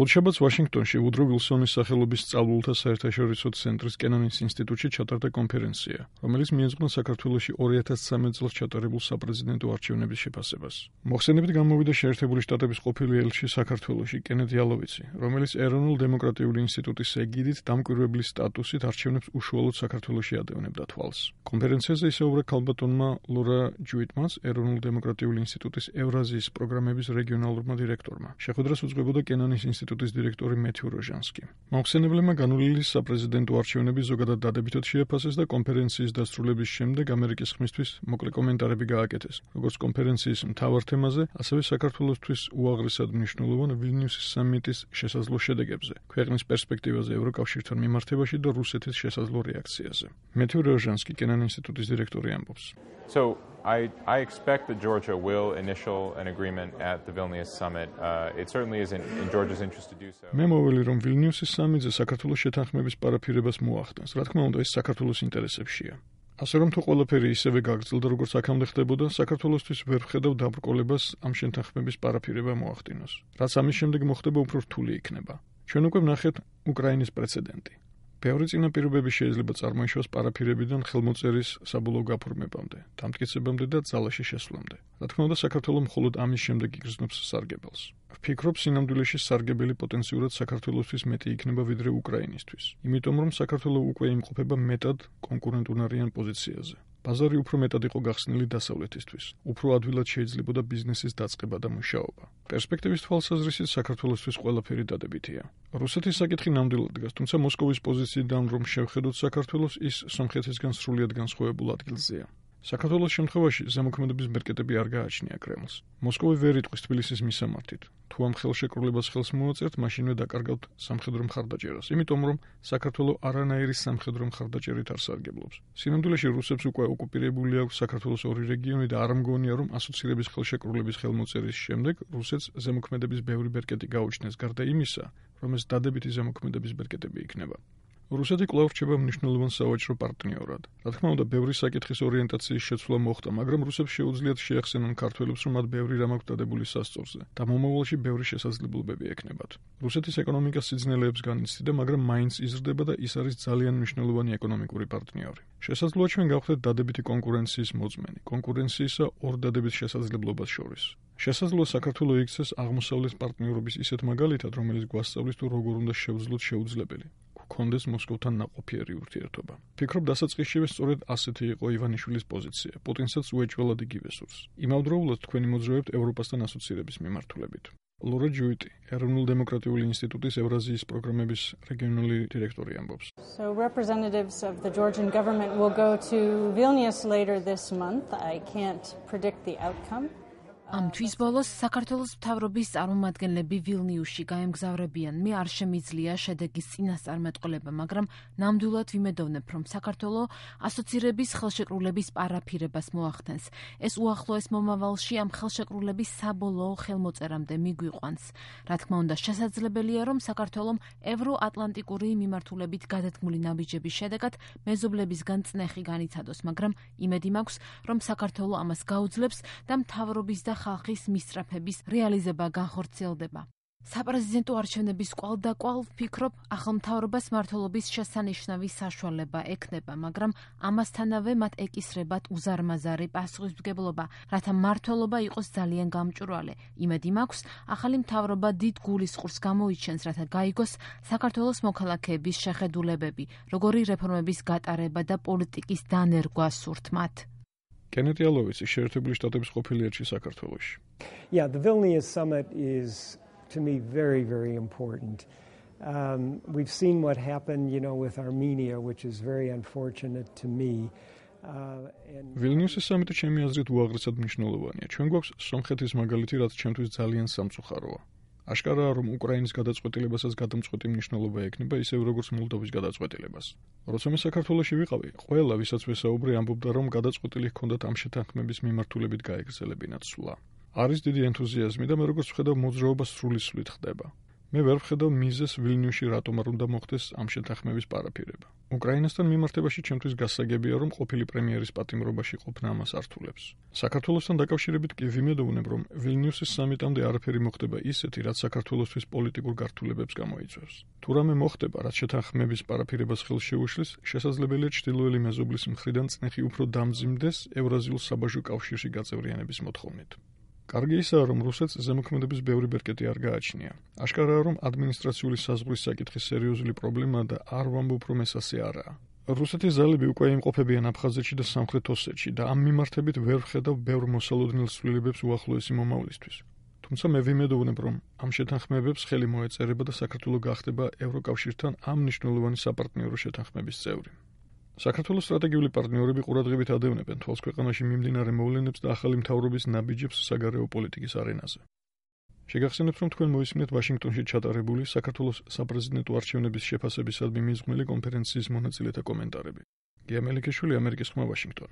ხუთშაბათს ვაშინგტონში ვუდრო ვილსონის სახელობის სწავლულთა საერთაშორისო ცენტრის კენანის ინსტიტუტში ჩატარდა კონფერენცია, რომელიც მიეძღვნა საქართველოში 2013 წელს ჩატარებულ საპრეზიდენტო არჩევნების შეფასებას. მოხსენებით გამოვიდა შეერთებული შტატების ყოფილი ელჩი საქართველოში კენედ იალოვიცი, რომელიც ეროვნულ დემოკრატიული ინსტიტუტის ეგიდით დამკვირვებლის სტატუსით არჩევნებს უშუალოდ საქართველოში ადევნებდა თვალს. კონფერენციაზე ისაუბრა ქალბატონმა ლორა ჯუიტმანს, ეროვნულ დემოკრატიული ინსტიტუტის ევრაზიის პროგრამების რეგიონალურმა დირექტორმა. შეხვედრას უძღვებოდა კენანის ინსტიტუტის დირექტორი მეთიუ როჟანსკი. მოხსენებლებმა განვლილი საპრეზიდენტო არჩევნები ზოგადად დადებითად შეაფასეს და კონფერენციის დასრულების შემდეგ ამერიკის ხმისთვის მოკლე კომენტარები გააკეთეს, როგორც კონფერენციის მთავარ თემაზე, ასევე საქართველოსთვის უაღრესად მნიშვნელოვან ვილნიუსის სამიტის შესაძლო შედეგებზე, ქვეყნის პერსპექტივაზე ევროკავშირთან მიმართებაში და რუსეთის შესაძლო რეაქციაზე. მეთიუ როჟანსკი, კენანის ინსტიტუტის დირექტორი ამბობს. So I expect that Georgia will initial an agreement at the Vilnius summit. It certainly is in Georgia's interest to do so. მე მოველი რომ ვილნიუსის სამიტზე საქართველოს შეთანხმების პარაფირებას მოახდენს. რა თქმა უნდა, ეს საქართველოს ინტერესებშია. ასე რომ თუ ყველაფერი ისევე გაგრძელდა, როგორც აქამდე ხდებოდა, საქართველოსთვის ვერ ვხედავ დაბრკოლებას ამ შეთანხმების პარაფირება მოახდინოს. რაც ამის შემდეგ მოხდება, უფრო რთული იქნება. ჩვენ უკვე ვნახეთ უკრაინის პრეცედენტი. ბევრი წინაპირობები შეიძლება წარმოიშვას პარაფირებიდან ხელმოწერის საბოლოო გაფორმებამდე, დამტკიცებამდე და ძალაში შესვლამდე. რა თქმა უნდა, საქართველოს მხოლოდ ამის შემდეგ იგრძნობს სარგებელს. ვფიქრობ, სინამდვილეში სარგებელი პოტენციურად საქართველოსთვის მეტი იქნება ვიდრე უკრაინისთვის, იმიტომ რომ საქართველოს უკვე იმყოფება მეტად კონკურენტუნარიან პოზიციაზე. ბაზარი უფრო მეტად იყო გახსნილი დასავლეთისთვის, უფრო ადვილად შეიძლებოდა ბიზნესის დაწყება და მუშაობა. პერსპექტივის თვალსაზრისით საქართველოსთვის ყველაფერი დადებითია. რუსეთის საკითხი ნამდვილად დგას, თუმცა მოსკოვის პოზიციიდან რომ შევხედოთ საქართველოს, ის სომხეთისგან სრულიად განსხვავებულ ადგილზეა. საქართველოს შემთხვევაში ზემოქმედების ბერკეტები არ გააჩნია კრემლს. მოსკოვი ვერ იტყვის თბილისის მისამართით. თუ ამ ხელშეკრულებას ხელს მოაწერთ, მაშინვე დაკარგავთ სამხედრო მხარდაჭერას, იმიტომ რომ საქართველოს არანაირი სამხედრო მხარდაჭერით არ სარგებლობს. სინამდვილეში რუსებს უკვე ოკუპირებული აქვს საქართველოს ორი რეგიონი და არ მგონია, რომ ასოცირების ხელშეკრულების ხელმოწერის შემდეგ რუსეთს ზემოქმედების ბევრი ბერკეტი გაუჩნდეს, გარდა იმისა, რომ ეს დადებითი ზემოქმედების ბერკეტები იქნება. რუსეთი კვლავ რჩება მნიშვნელოვან სავაჭრო პარტნიორად. რა თქმა უნდა, ბევრი საკითხის ორიენტაციის შეცვლა მოხდა, მაგრამ რუსებს შეუძლიათ შეეხსენონ ქართველებს, რომ მათ ბევრი რამ აქვს დადებული სასწორზე და მომავალში ბევრი შესაძლებლობები ექნებათ. რუსეთის ეკონომიკა სიძნელეებს განიცდიდა, მაგრამ მაინც იზრდება და ის არის ძალიან მნიშვნელოვანი ეკონომიკური პარტნიორი. შესაძლოა ჩვენ გავხდეთ დადებითი კონკურენციის მოწმენი, კონკურენციისა ორ დადებით შესაძლებლობას შორის. შესაძლოა საქართველოს იქცეს აღმოსავლეთ პარტნიორობის ისეთ მაგალითად, რომელიც გვასწავლის თუ როგორ უნდა შევძლოთ შეუძლებელი. კონდეს მოსკოვთან ნაყოფიერი ურთიერთობა. ფიქრობ, დასაწყისშივე სწორედ ასეთი იყო ივანიშვილის პოზიცია. პუტინსაც უეჭველად იგივე სურს. იმავდროულად თქვენი მოძრაობთ ევროპასთან ასოცირების მიმართულებით. ლორა ჯუიტი, ეროვნულ დემოკრატიული ინსტიტუტის ევრაზიის პროგრამების რეგიონალური დირექტორი ამბობს. So representatives of the Georgian government will go to Vilnius later this month. I can't predict the outcome. ამ თვის ბოლოს საქართველოს მთავრობის წარმომადგენლები ვილნიუსში გაემგზავრებიან. მე არ შემიძლია შედეგის წინასწარმეტყველება, მაგრამ ნამდვილად ვიმედოვნებ, რომ საქართველოს ასოცირების ხელშეკრულების პარაფირებას მოახდენს. ეს უახლოეს მომავალში ამ ხელშეკრულების საბოლოო ხელმოწერამდე მიგვიყვანს. რა თქმა უნდა, შესაძლებელია, რომ საქართველოს ევროატლანტიკური მიმართულებით გადადგმული ნაბიჯების შედეგად მეზობლებისგან წნეხი განიცადოს, მაგრამ იმედი მაქვს, რომ საქართველოს ამას გაუძლებს და მთავრობის და ხალხის მისწრაფების რეალიზება განხორციელდება. საპრეზიდენტო არჩევნების კვალდაკვალ ვფიქრობ, ახალ მთავრობას მმართველობის შესანიშნავი საშუალება ექნება, მაგრამ ამასთანავე მათ ეკისრებათ უზარმაზარი პასუხისმგებლობა, რათა მმართველობა იყოს ძალიან გამჭვირვალე. იმედი მაქვს, ახალი მთავრობა დიდ გულისწყურს გამოიჩენს, რათა გაიგოს საქართველოს მოქალაქეების შეხედულებები, როგორი რეფორმების გატარება და პოლიტიკის დანერგვა სურთ მათ. კენედ იალოვიცი, შეერთებული შტატების ყოფილი ელჩი საქართველოში. Yeah, the Vilnius summit is to me very, very important. We've seen what happened, with Armenia, which is very unfortunate to me. ვილნიუსის სამიტი ჩემი აზრით უაღრესად მნიშვნელოვანია. ჩვენ გვაქვს სომხეთის მაგალითი, რაც ჩემთვის ძალიან სამწუხაროა. აშკარაა, რომ უკრაინის გადაწყვეტილებასაც გადამწყვეტი მნიშვნელობა ექნება, ისევ როგორც მოლდოვის გადაწყვეტილებას. როცა მე საქართველოში ვიყავი, ყველა, ვისაც ვესაუბრე, ამბობდა, რომ გადაწყვეტილი ჰქონდათ ამ შეთანხმების მიმართულებით გაეგრძელებინათ სვლა. არის დიდი ენთუზიაზმი და მე როგორც ვხედავ, მოძრაობა სრულისვლით ხდება. მე ვერ ვხედავ მიზეზს ვილნიუსში რატომ არ უნდა მოხდეს ამ შეთანხმების პარაფირება. უკრაინასთან მიმართებაში ჩემთვის გასაგებია, რომ ყოფილი პრემიერის პატიმრობაში ყოფნა ამას ართულებს. საქართველოსთან დაკავშირებით კი ვიმედოვნებ, რომ ვილნიუსის სამიტამდე არაფერი მოხდება ისეთი, რაც საქართველოსთვის პოლიტიკურ გართულებებს გამოიწვევს. თუ რამე მოხდება, რაც შეთანხმების პარაფირებას ხელს შეუშლის, შესაძლებელია ჩრდილოელი მეზობლის მხრიდან წნეხი უფრო დამძიმდეს ევრაზიულ საბაჟო კავშირში გაწევრიანების მოთხოვნით. კარგი ისაა, რომ რუსეთს ზემოქმედების ბევრი ბერკეტი არ გააჩნია. აშკარაა, რომ ადმინისტრაციული საზღვრის საკითხი სერიოზული პრობლემაა და არ ვამბობ, რომ ეს ასე არაა. რუსეთის ძალები უკვე იმყოფებიან აფხაზეთში და სამხრეთ ოსეთში და ამ მიმართებით ვერ ვხედავ ბევრ მოსალოდნელ ცვლილებებს უახლოესი მომავლისთვის. თუმცა მე ვიმედოვნებ, რომ ამ შეთანხმებებს ხელი მოეწერება და საქართველო გახდება ევროკავშირთან ამ მნიშვნელოვანი საპარტნიორო შეთანხმების წევრი. საქართველოს სტრატეგიული პარტნიორები ყურადღებით ადევნებენ თვალს ქვეყანაში მიმდინარე მოვლენებს და ახალი მთავრობის ნაბიჯებს საგარეო პოლიტიკის არენაზე. შეგახსენებთ, რომ თქვენ მოისმინეთ ვაშინგტონში ჩატარებული საქართველოს საპრეზიდენტო არჩევნების შეფასებისადმი მიზღვნილი კონფერენციის მონაწილეთა კომენტარები. გია მელიქიშვილი, ამერიკის ხმა, ვაშინგტონი.